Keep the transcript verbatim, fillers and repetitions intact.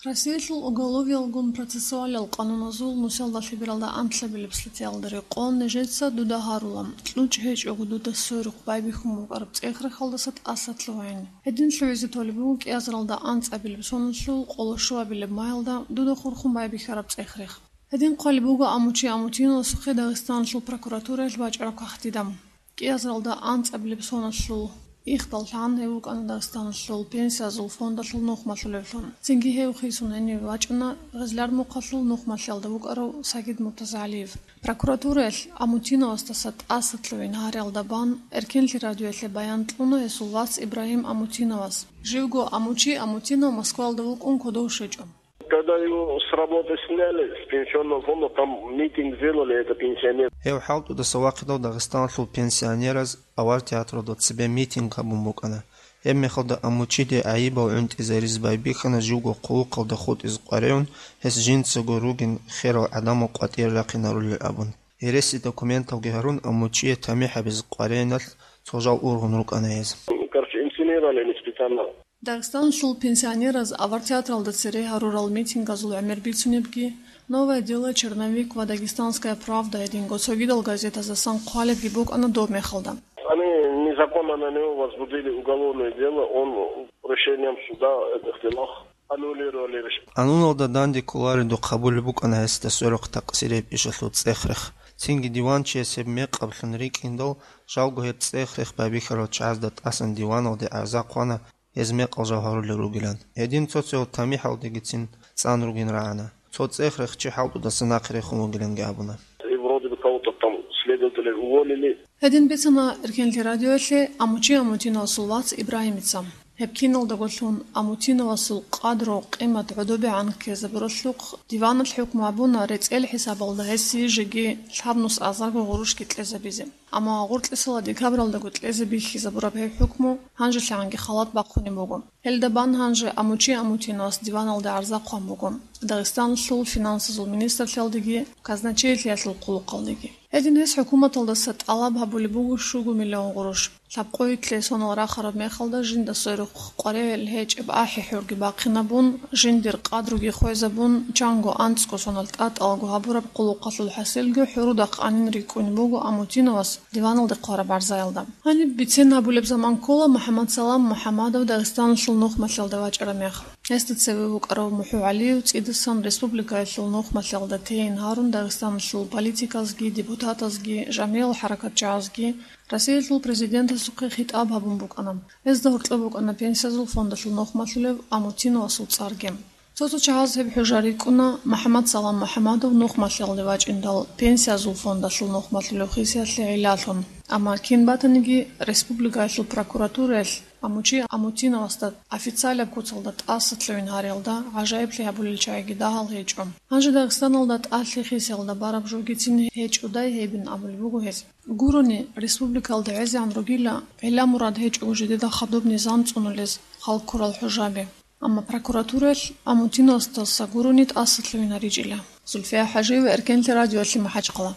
Россиялъул уголовиялгун процессуалал къануназул нусалда лъебералда анлъабилеб статьялда рекъон нижеца дуда гьарула, кьучӀ гьечӀого дуда сверухъ байбихьун букӀараб цӀехрехалдаса тӀасалъугьайин. Гьедин лъугӀизе толеб буго кӀиазаралда анцӀабилеб соналъул къолошуабилеб майалда дуда хурхун байбихьараб цӀехрех. Гьедин хъвалеб буго Амучи Амутиновасухъе Дагъистаналъул прокуратураялъ бачӀараб кагътида. КӀиазаралда анцӀабилеб соналъул ихдаллъан гьев вукӀана Дагъистаналъул пенсиязул фондалъул нухмалъулевлъун. Цинги гьев хисун гьенив вачӀана Гъезлар мухъалъул нухмалъиялда вукӀарав Сагид МуртазагӀалиев. Прокуратураялъ Амутиновасдаса тӀасалъугьин гьариялда бан Эркенлъи радиоялъе баян кьуна гьесул вас Ибрагьим Амутиновас. Живго Амучи Амутинов Москваялда вукӀун кодов щвечӀо. Когда его с работы сняли, с пенсионного фонда, там митинг сделали, это пенсионер. Гьев хӀалтӀудаса вахъидал Дагъистаналъул пенсионераз авар театралда цебе митинг гьабун букӀана. Гьеб мехалда Амучиде гӀайибал гӀунтӀизаризе байбихьана живго хъулухъалда хутӀизе къваригӀун, гьес жинцаго ругин херал гӀадамал къватӀире рахъинарулел абун. Гьереси документалги гьарун, Амучие тамихӀ гьабизе къваригӀиналъ цо жал ургъун рукӀана гьез. Короче, инсценировали они специально. Дагъистаналъул пенсионераз авар театралда цере гьарурал митингазул гӀемер бицунебги, «Новое дело», «Черновик» ва «Дагестанская правда» гьединго цогидал газетаздасан хъвалебги букӀана доб мехалда. Они незаконно на него возбудили уголовное дело, он решением суда этот дело аннулировали. Къануналда данде кколаредухъ гьабулеб букӀана гьесда сверухъ такъсирияб ишалъул цӀехрех. Цинги диванчияс гьеб мекъаблъун рикӀкӀиндал, жалго гьеб цӀехрех байбихьарал чагӀазда тӀасан диваналде гӀарза хъвана, гьез мекъал жал гьарулел ругилан. Гьедин цо-цо тамихӀалдегицин цӀан ругин рагӀана. Цо цӀехрех чи хӀалтӀудаса нахъе рехун вугиланги абуна. И вроде бы кого-то там следователей уволили. Гьедин бицана Эркенлъи радиоялъе Амучи Амутиновасул вац Ибрагьимица. Гьеб киналдаго лъун Амутиновасул къадру, къимат гӀодобегӀан ккезабуралъухъ, диваналъ хӀукму гьабуна рецӀел хӀисабалда гьесие жеги лъабнус азарго гъурущги кьезабизе. Амма гъоркьисала декабралдаго кьезе бихьизабураб гьеб хӀукму гьанжелъагӀанги халат бахъунеб буго. Гьелда бан гьанже Амучи Амутиновас диваналде гӀарза хъван буго Дагъистаналъул финансазул министрлъиялдеги казначейлъиялъул хъулухъалдеги. Гьедин гьес хӀукуматалдаса тӀалаб гьабулеб буго щуго миллион гъурущ. Лъабкъоялъе сонал рахараб мехалда жинда сверухъ къваригӀел гьечӀеб ахӀи-хӀурги бахъинабун, жиндир къадруги хвезабун, чанго анцӀго сонал тӀатӀалго гьабураб хъулухъалъул хӀасилги хӀурудахъ анин рикӀкӀунеб буго Амутиновас диваналде хъвараб гӀарзаялда. Гьаниб бицен гьабулеб заман ккола МухӀаммадсалам МухӀаммадов Дагъистаналъул нухмалъиялда вачӀараб мех. Гьесда цеве вукӀарав МухӀугӀалиев цӀидасан республикаялъул нухмалъиялда тейин гьарун Дагъистаналъул политиказги, депутатазги, жамигӀал хӀаракатчагӀазги Россиялъул президентасухъе хитӀаб гьабун букӀана. Гьезда гьоркьоб букӀана пенсиязул фондалъул нухмалъулев Амутиновасул цӀарги. Цо-цо чагӀаз гьеб хӀужа рикӀкӀуна МухӀаммадсалам МухӀаммадов нухмалъиялде вачӀиндал пенсиязул фондалъул нухмалъулев хисиялъе гӀиллалъун. Амма кин батаниги, республикаялъул прокуратураялъ Амучи Амутиновасда официалаб куцалда тӀасалъугьин гьариялда гӀажаиблъи гьабулел чагӀиги дагьал гьечӀо. Гьанже Дагъистаналда тӀалъи хисиялда бараб жогицин гьечӀодай гьебин абулеб буго гьез. Гурони, республикалда гӀезегӀан ругила гӀилла-мурад гьечӀого жидеда хадуб низам цӀунулез халкурал хӀужаби. Амма прокуратураялъ Амутиновасдаса гурони тӀасалъугьинаричӀила. Зульфия ХӀажиева, Эркенлъи радиоялъе МахӀачхъала.